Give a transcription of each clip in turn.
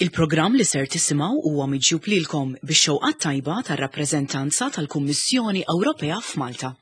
Il-programm li ser tisimgħu huwa miġjub lilkom bix-xewqat tajba tar-rappreżentanza tal-Kummissjoni Ewropea f'Malta.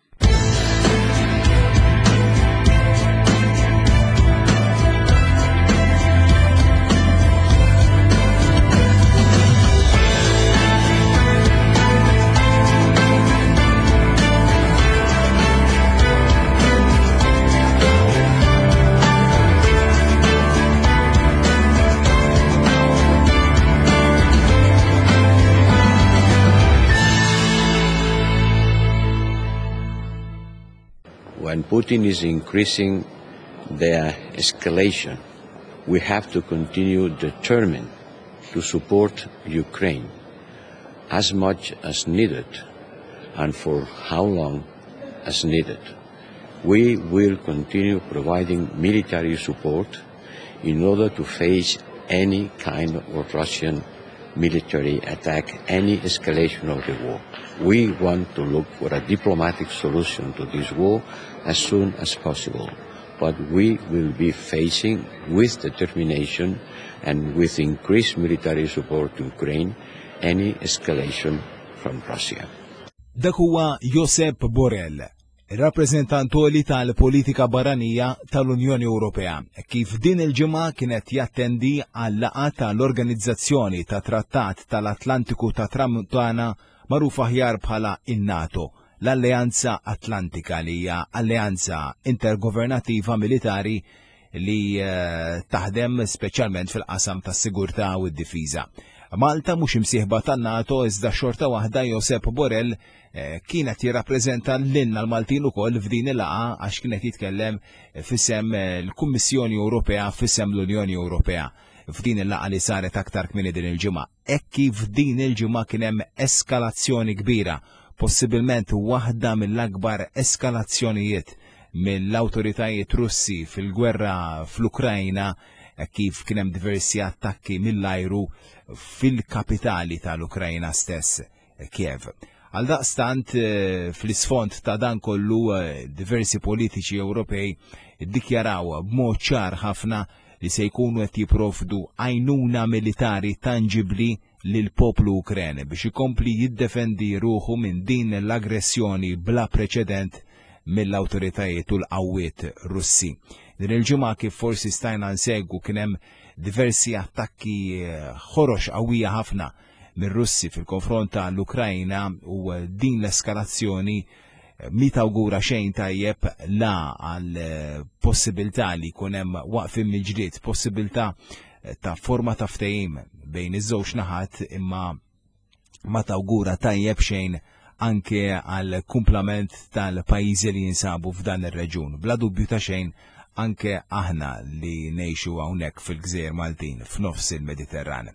When Putin is increasing their escalation, we have to continue determined to support Ukraine as much as needed and for how long as needed. We will continue providing military support in order to face any kind of Russian military attack, any escalation of the war. We want to look for a diplomatic solution to this war as soon as possible. But we will be facing with determination and with increased military support to Ukraine any escalation from Russia. Dak huwa Josep Borrell, ir-rappreżentant għoli tal-politika barranija tal-Unjoni Ewropea, kif din il-ġimgħa kien qed jattendi għal laqgħa tal-Organizzazzjoni ta' Trattat tal-Atlantiku ta' Tramuntana magħruf aħjar bħala in-NATO, l-Alleanza Atlantika li hija alleanza intergovernativa militari li eh, taħdem speċjalment fil-qasam tas-sigurtà u d-difiża. Malta mhux imsieħba tan-NATO iżda xorta waħda Josep Borrell eh, kienet jirrappreżenta lilna l-Maltin ukoll f'din il-laqgħa għax kienet jitkellem fisem eh, l-Kummissjoni Ewropea fisem l-Unjoni Ewropea f'din il-laqgħa li saret aktar kmieni din il-ġimgħa. Hekk kif din il-ġimgħa kien hemm eskalazzjoni kbira, possibilment waħda mill-akbar eskalazzjonijiet mill-awtoritajiet Russi fil-gwerra fl-Ukrajna hekk kif kien hemm diversi attakki mill-ajru fil-kapitali tal-Ukrajna stess, Kiev. Għaldaqstant, eh, fl-isfond ta' dan kollu eh, diversi politiċi Ewropej iddikjaraw b'mod ċar ħafna li se jkunu qed jipprovdu għajnuna militari tanġibbli lill-poplu Ukren biex ikompli jiddefendi ruħu minn din l-aggressjoni bla preċedent mill-awtoritajiet u l-qawwiet Russi. Din il-ġimgħa kif forsi stajna nsegwu kien hemm diversi attakki eh, ħorox qawwija ħafna mir-Russi fil-konfront tal-Ukrajna u din l-eskalazzjoni eh, mi tawgura xejn tajjeb la għal eh, possibilità li jkun hemm waqfien mill-ġlied, possibilità eh, ta' forma ta' ftehim bejn iż-żewġ naħat imma ma tawgura tajjeb xejn anke għal kumplament tal-pajjiżi li jinsabu f'dan ir-reġun. Bla dubju ta' xejn anke aħna li ngħixu hawnhekk fil-Gżejjer Maltin f'nofs il-Mediterran.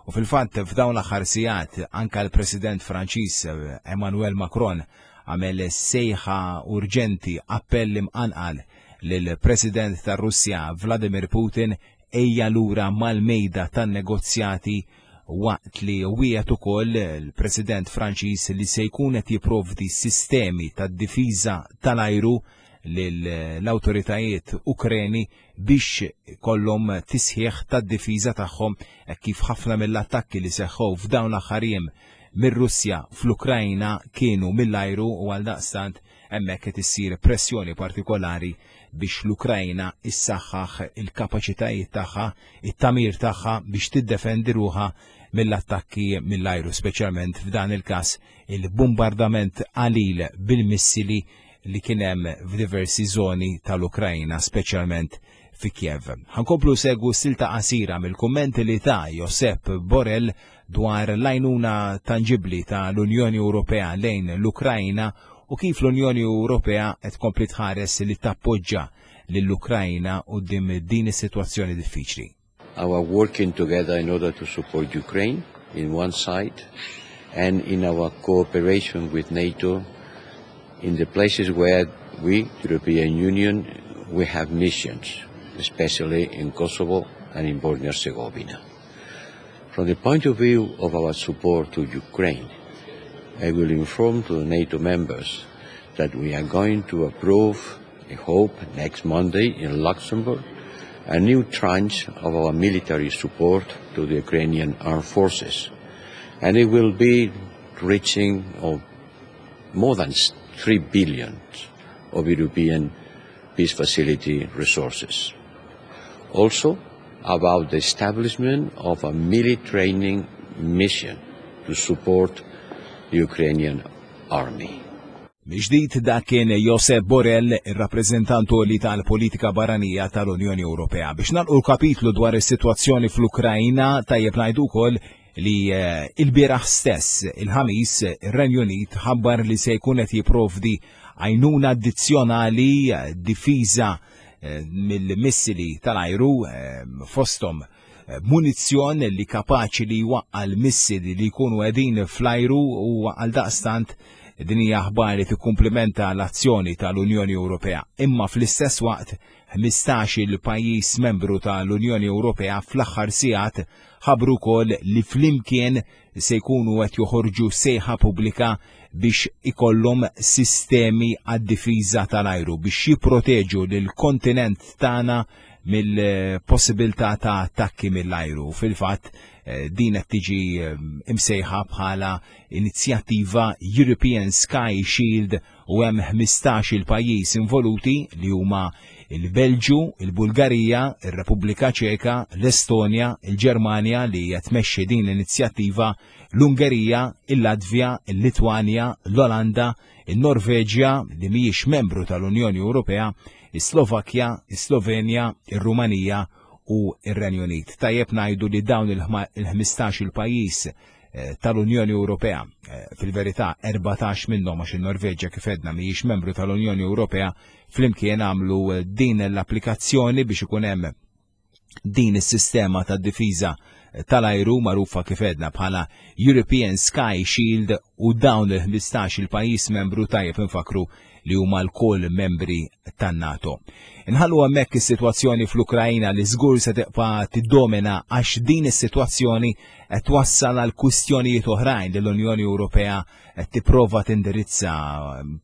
U fil-fatt f'dawn l-aħħar sigħat anke l-President Franċiż eh, Emmanuel Macron għamel sejħa urġenti appell imqanqal lill-President tar-Russja Vladimir Putin ejja lura mal-mejda tan-negozjati waqt li wiegħed ukoll il-President Franċiż li se jkun qed jipprovdi sistemi tad-difiża tal-ajru lill-awtoritajiet Ukreni biex kollhom tisħiħ tad-difiża tagħhom hekk kif ħafna mill-attakki li seħħew f'dawn l-aħħar jiem mir-Russja fl-Ukrajna kienu mill-ajru u għaldaqstant hemmhekk qed issir pressjoni partikolari biex l-Ukrajna issaħħaħ il-kapaċitajiet tagħha, it-tagħmir tagħha biex tiddefendi ruħha mill-attakki mill-ajru, speċjalment f'dan il-każ il-bombardament qalil bil-missili li kien hemm f'diversi żoni tal-Ukrajna, speċjalment fi Kiev. Ħankomplu segwu silta qasira mill-kummenti li ta' Josep Borrell dwar l-għajnuna tanġibli ta' l-Unjoni Ewropea lejn l-Ukrajna u kif l-Unjoni Ewropea qed tkompli tħares li tappoġġa lill-Ukrajna quddiem din is-sitwazzjoni diffiċli. Our working together in order to support Ukraine in one side and in our cooperation with NATO in the places where we, European Union, we have missions, especially in Kosovo and in Bosnia-Herzegovina. From the point of view of our support to Ukraine, I will inform to the NATO members that we are going to approve, I hope, next Monday in Luxembourg, a new tranche of our military support to the Ukrainian armed forces. And it will be reaching of more than 3 billion of European Peace Facility resources. Also, about the establishment of a military training mission to support the Ukrainian army. Mill-ġdid dak kien Josep Borrell, ir-rappreżentant għoli tal-politika barranija tal-Unjoni Ewropea. Biex nagħlqu l-kapitlu dwar is-sitwazzjoni fl-Ukrajna, tajjeb ngħidu wkoll li eh, il-bieraħ stess, il-ħamis, ir-Renju Unit ħabbar li se jkun qed jipprovdi għajnuna addizzjonali eh, difiża eh, mill-missili tal-ajru fosthom munizzjon li kapaċi li jwaqqa' l-missili li jkunu qegħdin fl-ajru u għaldaqstant din hija aħbar li tikkumplimenta l-azzjoni tal-Unjoni Ewropea. Imma fl-istess waqt 15 il pajjiż membru tal-Unjoni Ewropea fl-aħħar sigħat ħabbru wkoll li flimkien se jkunu qed joħorġu sejħa pubblika biex ikollhom sistemi għad-difiża tal-ajru biex jipproteġu lill-kontinent tagħna mill-possibilità ta' attakki mill-ajru. Fil-fatt, eh, din qed tiġi eh, imsejħa bħala inizjattiva European Sky Shield u hemm 15 il pajjiż involuti li huma il-Belġju, il-Bulgarija, ir-Repubblika Ċeka, l-Estonja, il-Ġermanja li qed tmexxi din l-inizjattiva, l-Ungerija, il-Latvja, il-Litwanja, l-Olanda, in-Norveġja li mhijiex membru tal-Unjoni Ewropea, is-Slovakkja, is-Slovenja, ir-Rumanija u r-Renju Unit. Tajjeb ngħidu li dawn il-15 il-pajjiż eh, tal-Unjoni Ewropea, eh, fil-verità 14 minnhom għax in-Norveġja kif edna mhijiex membru tal-Unjoni Ewropea, flimkien għamlu eh, din l-applikazzjoni biex ikun hemm din is-sistema ta' difiża tal-ajru magħrufa kif edna bħala European Sky Shield u dawn il-15 il-pajjiż membru tajjeb infakru li huma lkoll membri tan-NATO. Inħallu hemmhekk is-sitwazzjoni fl-Ukrajna li żgur se tibqa' tiddomina għax din is-sitwazzjoni qed twassal għal kwistjonijiet oħrajn li l-Unjoni Ewropea qed tipprova tindirizza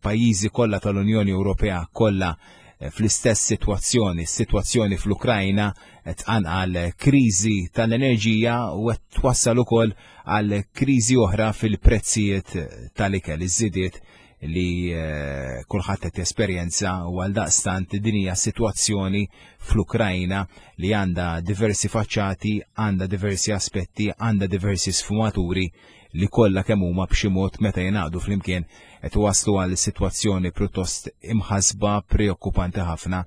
pajjiżi kollha tal-Unjoni Ewropea kollha eh, fl-istess sitwazzjoni, s-sitwazzjoni fl-Ukrajna qed tqanqal kriżi tal-enerġija u qed twassal ukoll għal kriżi oħra fil-prezzijiet tal-ikel, iż-żidiet li eh, kulħadd qed jesperjenza u għal daqstant din hija sitwazzjoni fl-Ukrajna li għandha diversi faċċati, għandha diversi aspetti, għandha diversi sfumaturi li kollha kemm huma b'xi mod meta jingħaqdu flimkien qed iwasslu għal sitwazzjoni pjuttost imħasba preokkupanti ħafna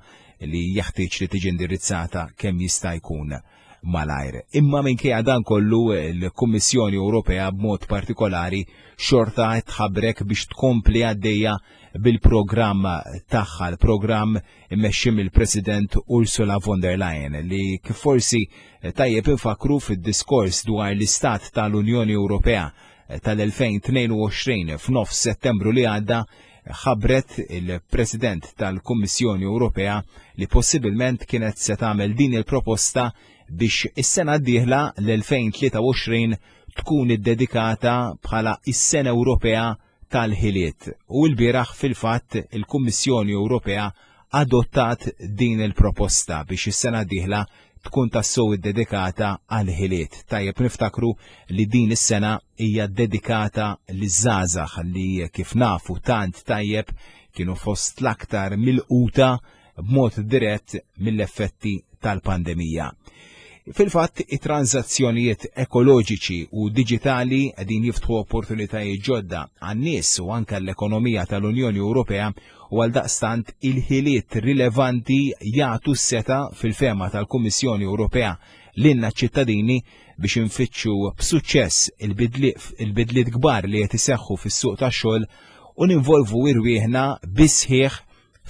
li jeħtieġ li tiġi indirizzata kemm jista' jkun malajr. Imma minkejja dan kollu l-Kummissjoni Ewropea b'mod partikolari xorta qed tħabrek biex tkompli għaddejja bil-programm tagħha, l-programm immexxi mill-President Ursula von der Leyen li kif forsi tajjeb infakru fid-diskors dwar l-istat tal-Unjoni Ewropea tal-2022 f'nofs Settembru li għadda ħabbret il-President tal-Kummissjoni Ewropea li possibilment kienet se tagħmel din il-proposta biex is-sena d-dieħla l-2023 tkun iddedikata bħala is-Sena Ewropea tal-Ħiliet. U l-bieraħ fil-fatt il-Kummissjoni Ewropea adottat din il-proposta biex is-sena d-dieħla tkun tassew iddedikata għall-ħiliet. Tajjeb niftakru li din is-sena hija dedikata liż-żgħażagħ li kif nafu tant tajjeb kienu fost l-aktar milquta b'mod dirett mill-effetti tal-pandemija. Fil-fatt, it-tranżazzjonijiet ekoloġiċi u diġitali qegħdin jiftħu opportunitajiet ġodda għan-nies u anke l-ekonomija tal-Unjoni Ewropea u għaldaqstant il-ħiliet rilevanti jagħtu s-setgħa fil-fehma tal-Kummissjoni Ewropea lilna ċ-ċittadini biex infittxu b'suċċess il-bidliet kbar li qed iseħħu fis-suq tax-xogħol u ninvolvu irwieħna bis-sħiħ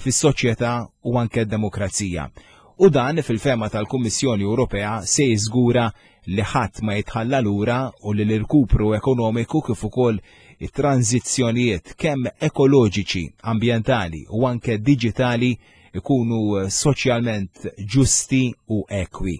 fis-soċjetà u anke d-demokrazija. U dan fil-fehma tal-Kummissjoni Ewropea se jiżgura li ħadd ma jitħalla lura u li l-irkupru ekonomiku kif ukoll it-tranżizzjonijiet kemm ekoloġiċi, ambjentali u anke diġitali ikunu soċjalment ġusti u ekwi.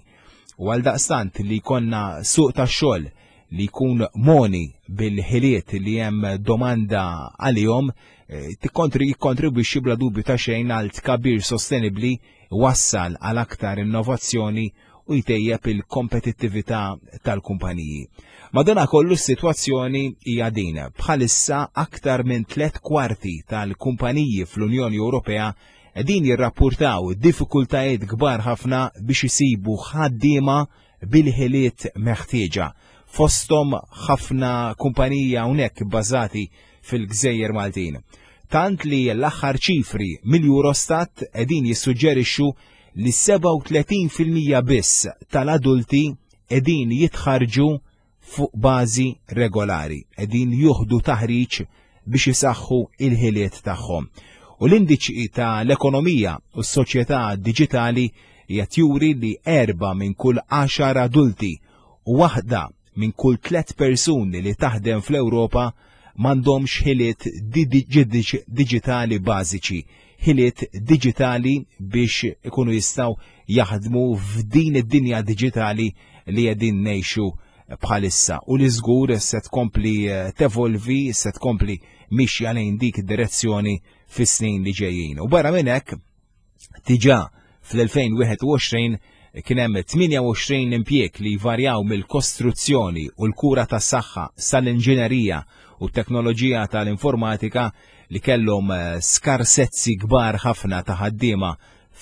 U għaldaqstant li jkollna suq tax-xogħol li jkun moni bil-ħiliet li hemm domanda għalihom eh, jikkontribwixxi bla dubju ta' xejn għal tkabbir sostenibbli iwassal għal aktar innovazzjoni u jtejjeb il-kompetittività tal-kumpaniji. Madanakollu s-sitwazzjoni hija din. Bħalissa aktar minn 3/4 tal-kumpaniji fl-Unjoni Ewropea qegħdin jirrappurtaw diffikultajiet kbar ħafna biex isibu ħaddiema bil-ħiliet meħtieġa. Fosthom ħafna kumpaniji hawnhekk bbażati fil-Gżejjer Maltin. Tant li l-aħħar ċifri mill-Eurostat qegħdin jissuġġerixxu li 37% biss tal-adulti qegħdin jitħarġu fuq bażi regolari, qegħdin juħdu taħriġ biex isaħħu il-ħiliet tagħhom. U l-indiċi ta' l-ekonomija u s-soċjetà diġitali qed juri li 4 minn kull 10 adulti u waħda minn kull 3 persuni li taħdem fl-Ewropa m'għandhomx ħiliet diġitali bażiċi, ħiliet diġitali biex ikunu jistgħu jaħdmu f'din id-dinja diġitali li qegħdin ngħixu bħalissa u li żgur se tkompli tevolvi, se tkompli mixja lejn dik id-direzzjoni fis-snin li ġejjin. U barra minn hekk, diġà fl-2021 kien hemm 28 impjieg li jvarjaw mill-kostruzzjoni u l-kura tas-saħħa sal-inġinerija u t-teknoloġija tal-informatika li kellhom skarsezzi kbar ħafna ta' ħaddiema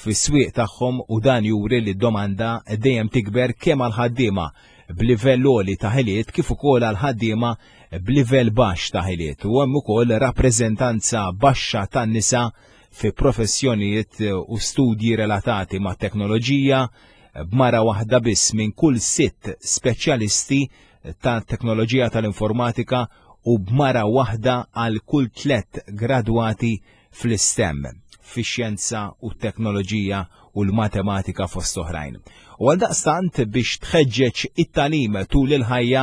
fis-swieq tagħhom u dan juri li d-domanda dejjem tikber kemm għal ħaddiema b'livell għoli ta' ħiliet kif ukoll għal ħaddiema b'livell baxx ta' ħiliet. U hemm ukoll rappreżentanza baxxa tan-nisa fi professjonijiet u studji relatati ma' teknoloġija, b'mara waħda biss minn kull 6 speċjalisti ta' teknoloġija tal-informatika u b'mara waħda għal kull 3 gradwati fl-STEM, fix-xjenza u t-teknoloġija u l-matematika fost oħrajn. U għaldaqstant biex tħeġġeġ it-tagħlim tul il-ħajja,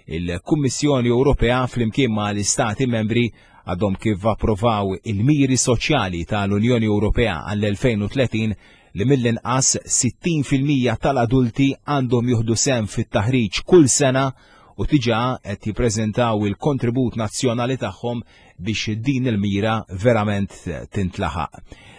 il-Kummissjoni Ewropea flimkien ma' l-Istati membri għadhom kif approvaw il-miri soċjali tal-Unjoni Ewropea għall-2030 li mill-inqas 60% tal-adulti għandhom juhdu sehem fit-taħriġ kull sena u diġà qed jippreżentaw il-kontribut nazzjonali tagħhom biex din il-mira verament tintlaħaq.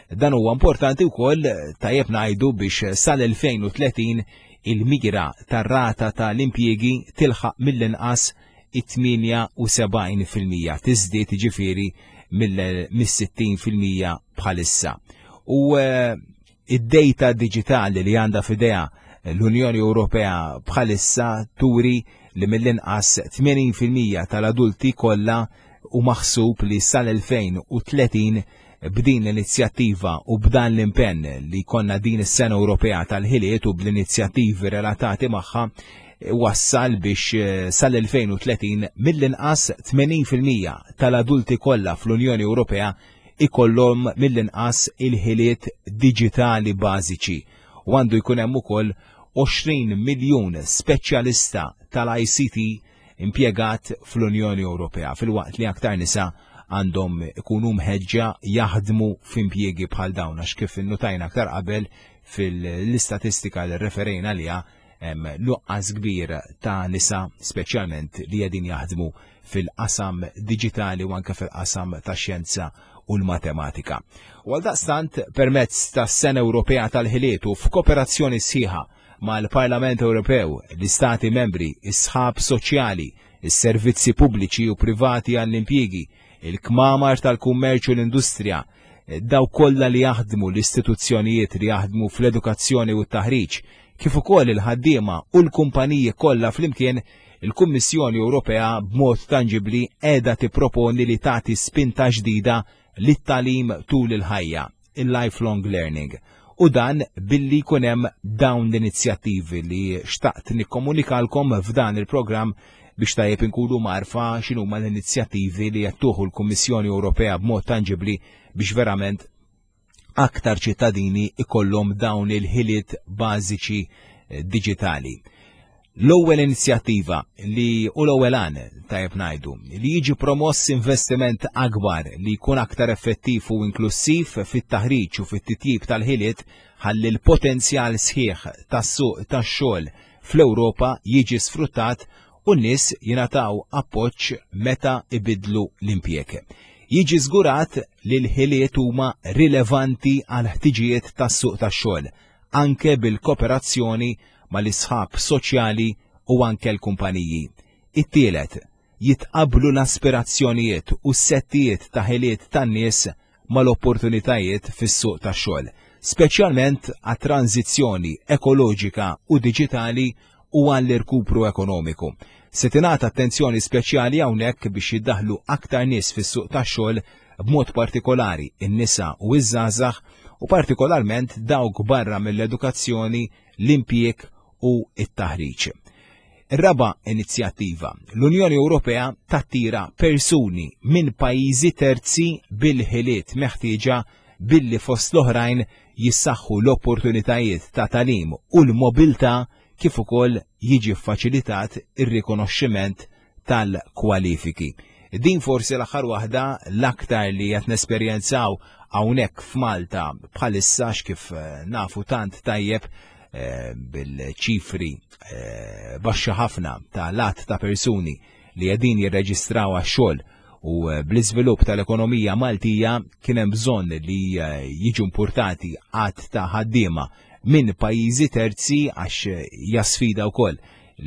Dan huwa importanti wkoll tajjeb ngħidu biex sal-2030 il-mira tar-rata tal-impjiegi tilħaq mill-inqas it-78%, tiżdied jiġifieri mis-60 fil-mija bħalissa. U id-data diġitali li għandha f'idejha l-Unjoni Ewropea bħalissa turi li mill-inqas 80 fil-mija tal-adulti kollha u maħsub li sal-2030 b'din l-inizjattiva u b'dan l-impenn li konna din is-Sena Ewropea tal-Ħiliet u bl-inizjattivi relatati magħha wassal biex sal-2030 mill-inqas 80 fil-mija tal-adulti kollha fl-Unjoni Ewropea ikollhom mill-inqas il-ħiliet diġitali bażiċi u għandu jkun hemm ukoll 20 miljun speċjalista tal-ICT impjegat fl-Unjoni Ewropea, filwaqt li aktar nisa għandhom ikunu mħeġġa jaħdmu f'impjiegi bħal dawn, għax kif innutajna aktar qabel fil-istatistika li referejna għaliha hemm nuqqas kbir ta' nisa speċjalment li qegħdin jaħdmu fil-qasam diġitali u anke fil-qasam tax-xjenza u l-matematika. U għaldaqstant permezz tas-Sena Ewropea tal-Ħiliet u f'kooperazzjoni sħiħa mal-Parlament Ewropew, l-Istati Membri, is-sħab soċjali, is-servizzi pubbliċi u privati għall-impjiegi, il-kmamar tal-kummerċ u l-industrija, dawk kollha li jaħdmu l-istituzzjonijiet li jaħdmu fl-edukazzjoni u t-taħriġ, kif ukoll il-ħaddiema u l-kumpaniji kollha flimkien, il-Kummissjoni Ewropea b'mod tanġibbli qiegħda tipproponi li tagħti spinta ġdida lit-tagħlim tul il-ħajja, il-lifelong learning. U dan billi jkun hemm dawn l-inizjattivi li xtaqt nikkomunikalkom f'dan il-programm biex tajjeb inkunu marfa x'inhuma l-inizjattivi li qed tuħu l-Kummissjoni Ewropea b'mod tanġibbli biex verament aktar ċittadini ikollhom dawn il-ħiliet bażiċi diġitali. L-ewwel inizjattiva li u l-ewwel għan tajjeb ngħidu li jiġi promoss investiment akbar li jkun aktar effettiv u inklussiv fit-taħriġ u fit-titjib tal-ħiliet ħalli l-potenzjal sħiħ tas-suq tax-xogħol fl-Ewropa jiġi sfruttat u n-nies jingħataw appoġġ meta ibiddlu l-impjieg. Jiġi żgurat li l-ħiliet huma rilevanti għall-ħtiġijiet tas-suq tax-xogħol, anke bil-kooperazzjoni mal-isħab soċjali u anke l-kumpaniji. It-tielet, jitqabblu l-aspirazzjonijiet u s-settijiet ta' ħiliet tan-nies mal-opportunitajiet fis-suq tax-xogħol, speċjalment għat-tranżizzjoni ekoloġika u diġitali u għall-irkupru ekonomiku. Se tingħata attenzjoni speċjali hawnhekk biex jiddaħħlu aktar nies fis-suq tax-xogħol b'mod partikolari n-nisa u ż-żgħażagħ u partikolarment dawk barra mill-edukazzjoni, l-impjieg u t-taħriġ. Ir-raba' inizjattiva, l-Unjoni Ewropea tattira persuni minn pajjiżi terzi bil-ħiliet meħtieġa billi fost l-oħrajn jissaħħu l-opportunitajiet ta' tagħlim u l-mobilità kif ukoll jiġi ffaċilitat ir-rikonoxximent tal-kwalifiki. Din forsi l-aħħar waħda l-aktar li qed nesperjenzaw hawnhekk f'Malta bħalissa kif eh, nafu tant tajjeb eh, bil-ċifri eh, baxxa ħafna ta' lat ta' persuni li qegħdin jirreġistraw għax-xogħol u bl-iżvilupp tal-ekonomija Maltija kien hemm bżonn li jiġu importati għadd ta' ħaddiema minn pajjiżi terzi għax hija sfida wkoll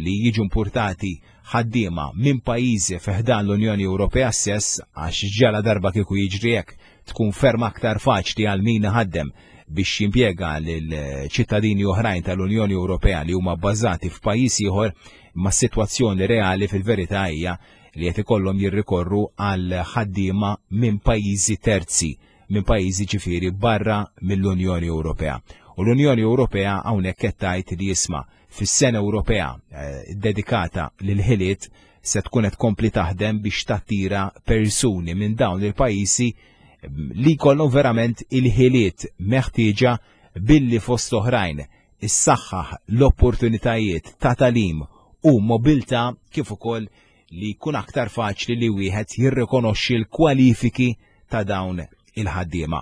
li jiġu importati ħaddiema minn pajjiżi fi ħdan l-Unjoni Ewropea stess għax ġala darba kieku jiġri hekk tkun ferm aktar faċli għal min iħaddem biex jimpjega lil ċittadini oħrajn tal-Unjoni Ewropea li huma bbażati f'pajjiż ieħor imma s-sitwazzjoni reali fil-verità hija li qed ikollhom jirrikorru għal ħaddiema minn pajjiżi terzi, minn pajjiżi ġifieri barra mill-Unjoni Ewropea. U l-Unjoni Ewropea hawnhekk qed tgħid li jisma' fis-sena Ewropea eh, dedikata lil ħiliet se tkun qed tkompli taħdem biex tattira persuni minn dawn il-pajjiżi mm, li jkollhom verament il-ħiliet meħtieġa billi fost oħrajn issaħħaħ l-opportunitajiet ta' tagħlim u mobilità kif ukoll li jkun aktar faċli li wieħed jirrikonoxxi l-kwalifiki ta' dawn il-ħaddiema.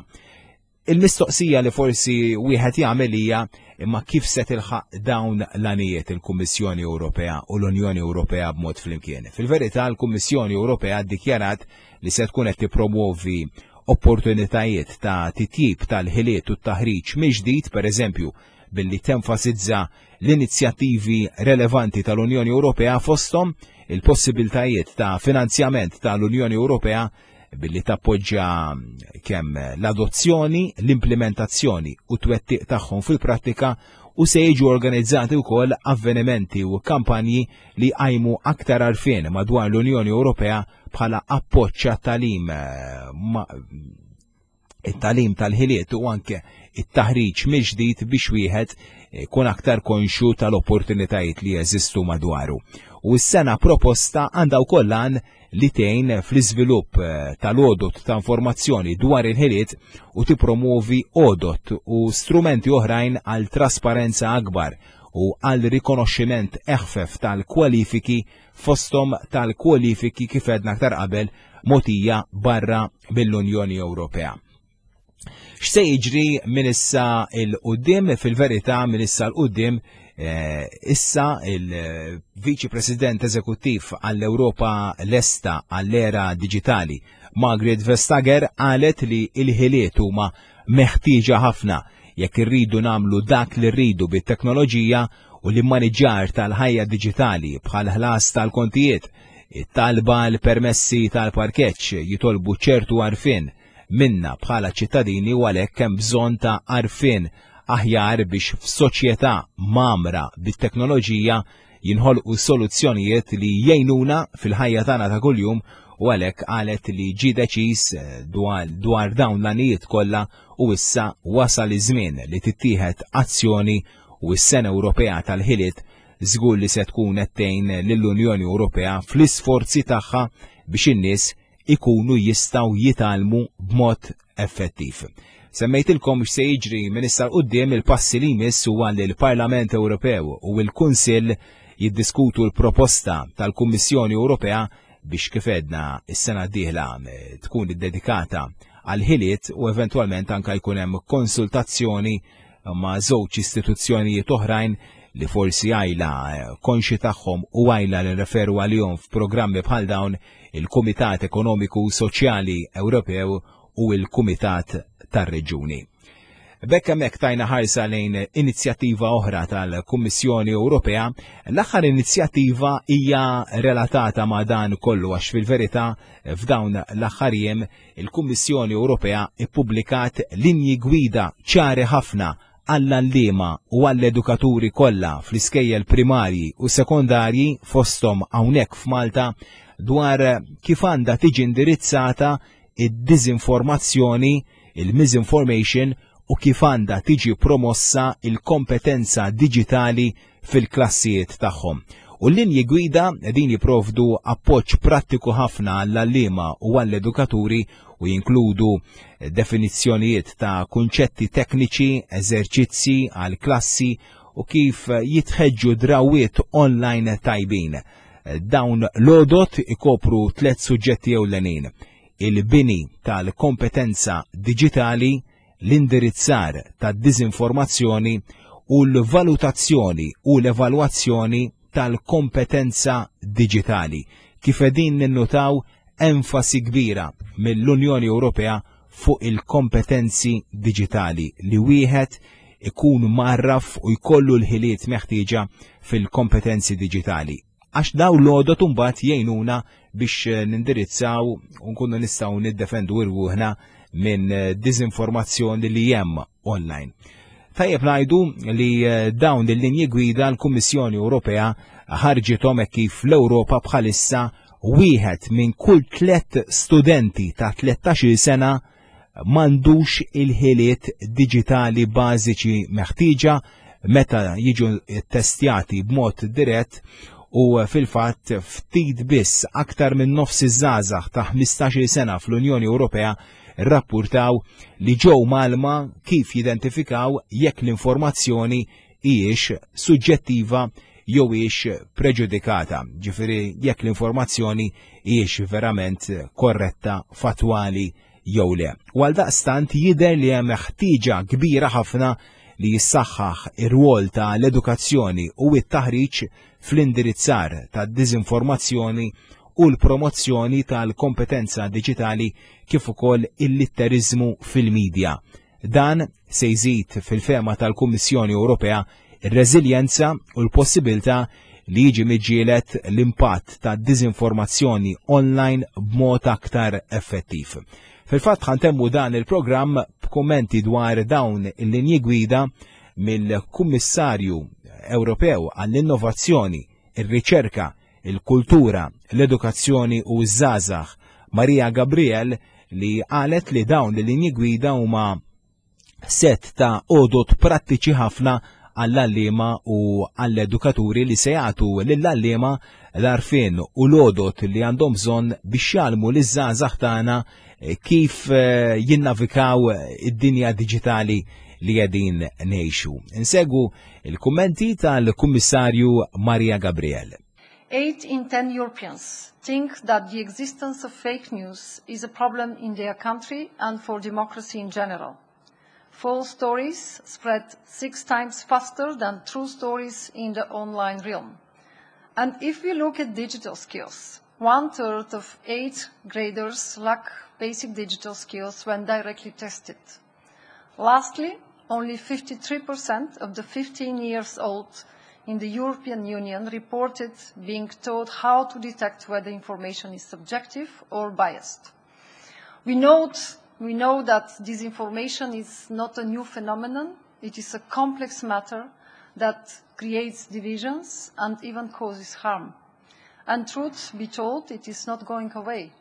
Il-mistoqsija li forsi wieħed jagħmel hija imma kif se tilħaq dawn l-għanijiet il-Kummissjoni Ewropea u l-Unjoni Ewropea b'mod flimkien. Fil-verità l-Kummissjoni Ewropea ddikjarat li se tkun qed tippromuovi opportunitajiet ta' titjib tal-ħiliet u t-taħriġ mill-ġdid, pereżempju billi tenfasizza l-inizjattivi relevanti tal-Unjoni Ewropea fosthom il-possibiltajiet ta' finanzjament tal-Unjoni Ewropea billi tappoġġja kemm l-adozzjoni, l-implementazzjoni u twettiq tagħhom fil-prattika u se jiġu organizzati wkoll avvenimenti u kampanji li jqajmu aktar għarfien madwar l-Unjoni Ewropea bħala appoġġ għat-tagħlim it-tagħlim tal-ħiliet u anke it-taħriġ mill-ġdid biex wieħed ikun aktar konxju tal-opportunitajiet li jeżistu madwaru. U s-sena proposta għandha wkoll għan li tgħin fl-iżvilupp eh, tal-għodot ta' informazzjoni dwar il-ħiliet u tippromovi għodot u strumenti oħrajn għal trasparenza akbar u għal rikonoxximent eħfef tal-kwalifiki fosthom tal-kwalifiki kif għedna aktar qabel mogħtija barra mill-Unjoni Ewropea. X'se jiġri minn issa 'l quddiem fil-verità minn issa 'l quddiem eh, issa il-Viċi President Eżekuttiv għall-Ewropa lesta għall-era diġitali Margaret Vestager qalet li l-ħiliet huma meħtieġa ħafna jekk irridu nagħmlu dak li rridu bit-teknoloġija u l-immaniġġar tal-ħajja diġitali bħal ħlas tal-kontijiet, it-talba l-permessi tal-parkeġġ jitolbu ċertu għarfien minna bħala ċittadini u għalhekk hemm bżonn ta' għarfien aħjar biex f'soċjetà mgħammra bit-teknoloġija jinħolqu soluzzjonijiet li jgħinuna fil-ħajja tagħna ta' kuljum u għalhekk qalet li ġie deċiż eh, dwar, dwar dawn l-għanijiet kollha u issa wasal iż-żmien li tittieħed azzjoni u s-Sena Ewropea tal-Ħiliet żgur li se tkun qed tgħin lill-Unjoni Ewropea fl-isforzi tagħha biex in-nies ikunu jistgħu jitgħallmu b'mod effettiv. Semmejtilkom x'se jiġri minn issa 'l quddiem il-passi li jmiss huwa li l-Parlament Ewropew u l-Kunsill jiddiskutu l-proposta tal-Kummissjoni Ewropea biex kif għedna s-sena d-dieħla eh, tkun iddedikata għal ħiliet u eventwalment anka jkun hemm konsultazzjoni ma' żewġ istituzzjonijiet oħrajn. li forsi għajla konxi tagħhom u għajla li referu għalihom f'programmi bħal dawn, il-Kumitat Ekonomiku u Soċjali Ewropew u l-Kumitat tar-Reġjuni. B'hekk hemmhekk tajna ħarsa lejn inizjattiva oħra tal-Kummissjoni Ewropea. L-aħħar inizjattiva hija relatata ma' dan kollu għax fil-verità f'dawn l-aħħar jiem il-Kummissjoni Ewropea ippubblikat linji gwida ċari ħafna għall-għalliema u għall-edukaturi kollha fl-iskejjel primarji u sekondarji fosthom hawnhekk f'Malta dwar kif għandha tiġi indirizzata id-diżinformazzjoni, il-misinformation u kif għandha tiġi promossa il-kompetenza diġitali fil-klassijiet tagħhom. U l-linji gwida din jipprovdu appoġġ prattiku ħafna għall-għalliema u għall-edukaturi u jinkludu definizzjonijiet ta' kunċetti tekniċi, eżerċizzi għal klassi u kif jitħeġġu drawwiet online tajbin. Dawn l-għodot ikopru tlet suġġetti ewlenin: il-bini tal-kompetenza diġitali, l-indirizzar tad-diżinformazzjoni u l-valutazzjoni u l-evalwazzjoni tal-kompetenza diġitali. Kif qegħdin ninnutaw enfasi kbira mill-Unjoni Ewropea fuq il-kompetenzi diġitali li wieħed ikun mgħarraf u jkollu l-ħiliet meħtieġa fil-kompetenzi diġitali. Għax daw l-għodot imbagħad jgħinuna biex nindirizzaw u nkunu nistgħu niddefendu rwuħna minn diżinformazzjoni li hemm online. Tajjeb ngħidu li dawn il-linji gwida l-Kummissjoni Ewropea ħarġithom hekk kif l-Ewropa bħalissa wieħed minn kull tlet studenti ta' 13-il sena m'għandux il-ħiliet diġitali bażiċi meħtieġa meta jiġu ttestjati b'mod dirett u fil-fatt ftit biss aktar minn nofs iż-żgħażagħ ta' 15-il sena fl-Unjoni Ewropea rrappurtaw li ġew mgħallma kif jidentifikaw jekk l-informazzjoni hijiex suġġettiva jew hijiex preġudikata, ġifieri jekk l-informazzjoni hijiex verament korretta, fattwali jew le. U għaldaqstant jidher li hemm ħtieġa kbira ħafna li jissaħħaħ ir-rwol ta' l-edukazzjoni u t-taħriġ fl-indirizzar tad-diżinformazzjoni u l-promozzjoni tal-kompetenza diġitali kif ukoll il-litteriżmu fil-midja. Dan se jżid fil-fehma tal-Kummissjoni Ewropea ir-reżiljenza u l-possibilità li jiġi miġġieled l-impatt ta' diżinformazzjoni online b'mod aktar effettiv. Fil-fatt ħantemmu dan il-programm b'kummenti dwar dawn il-linji gwida mill-Kummissarju Ewropew għall-Innovazzjoni, ir-Riċerka, il-Kultura, l-Edukazzjoni u ż-Żgħażagħ Maria Gabriel li qalet li dawn l-linji gwida huma set ta' għodod prattiċi ħafna għall-għalliema u għall-edukaturi li se jagħtu lill-għalliema l-għarfien u l-għodod li għandhom bżonn biex jgħallmu liż-żgħażagħ tagħna eh, kif eh, jinnavikaw id-dinja diġitali li qegħdin ngħixu. Insegwu il-kummenti tal-Kummissarju Maria Gabriel. 8 in 10 Europeans think that the existence of fake news is a problem in their country and for democracy in general. False stories spread 6 times faster than true stories in the online realm. And if we look at digital skills, 1/3 of 8th graders lack basic digital skills when directly tested. Lastly, only 53% of the 15 years old in the European Union reported being taught how to detect whether information is subjective or biased. We know that disinformation is not a new phenomenon. It is a complex matter that creates divisions and even causes harm. And truth be told, it is not going away.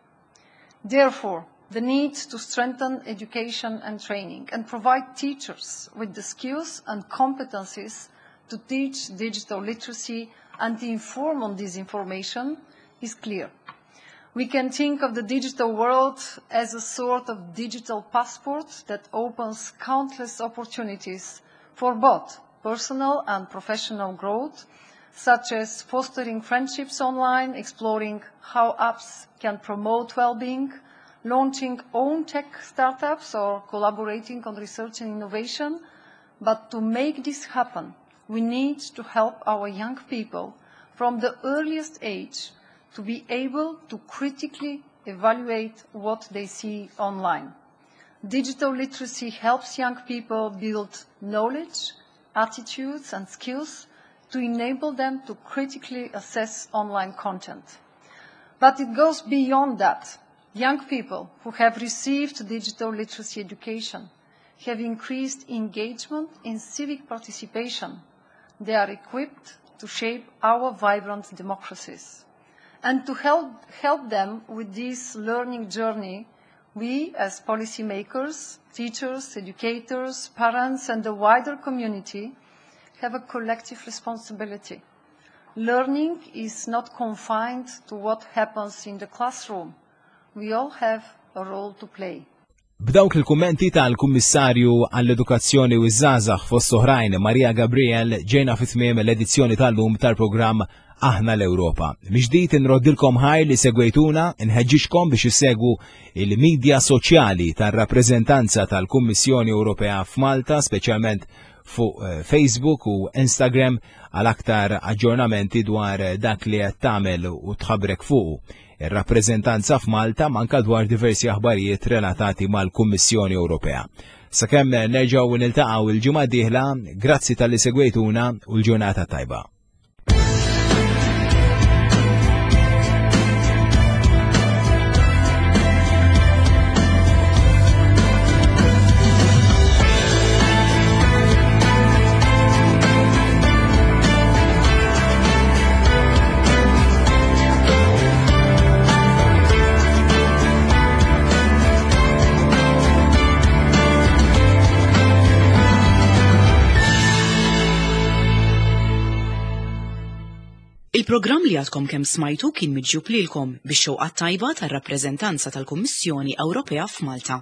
Therefore, the need to strengthen education and training and provide teachers with the skills and competencies to teach digital literacy and to inform on disinformation is clear. We can think of the digital world as a sort of digital passport that opens countless opportunities for both personal and professional growth, such as fostering friendships online, exploring how apps can promote well-being, launching own tech startups or collaborating on research and innovation. But to make this happen, We need to help our young people from the earliest age to be able to critically evaluate what they see online. Digital literacy helps young people build knowledge, attitudes and skills to enable them to critically assess online content. But it goes beyond that. Young people who have received digital literacy education have increased engagement in civic participation. They are equipped to shape our vibrant democracies. And to help, help them with this learning journey, we as policymakers, teachers, educators, parents and the wider community have a collective responsibility. Learning is not confined to what happens in the classroom. We all have a role to play. B'dawk il-kummenti tal-Kummissarju għall-Edukazzjoni u ż-Żgħażagħ fost oħrajn Maria Gabriel ġejna fi tmiem l-edizzjoni tal-lum tal-programm Aħna l-Ewropa. Mill-ġdid inroddilkom ħajr li segwejtuna, nħeġġiġkom biex issegwu il-medja soċjali tar-rappreżentanza tal-Kummissjoni Ewropea f'Malta, speċjalment fuq eh, Facebook u Instagram għal aktar aġġornamenti dwar dak li qed tagħmel u tħabrek fuq ir-rappreżentanza f'Malta manka dwar diversi aħbarijiet relatati mal-Kummissjoni Ewropea. Sakemm nerġgħu niltaqgħu il-ġimgħa d-dieħla, grazzi talli segwejtuna u l-ġurnata tajba. Il-programm li għadkom kemm smajtu kien miġjub lilkom bix-xewqa tajba tar-rappreżentanza tal-Kummissjoni Ewropea f'Malta.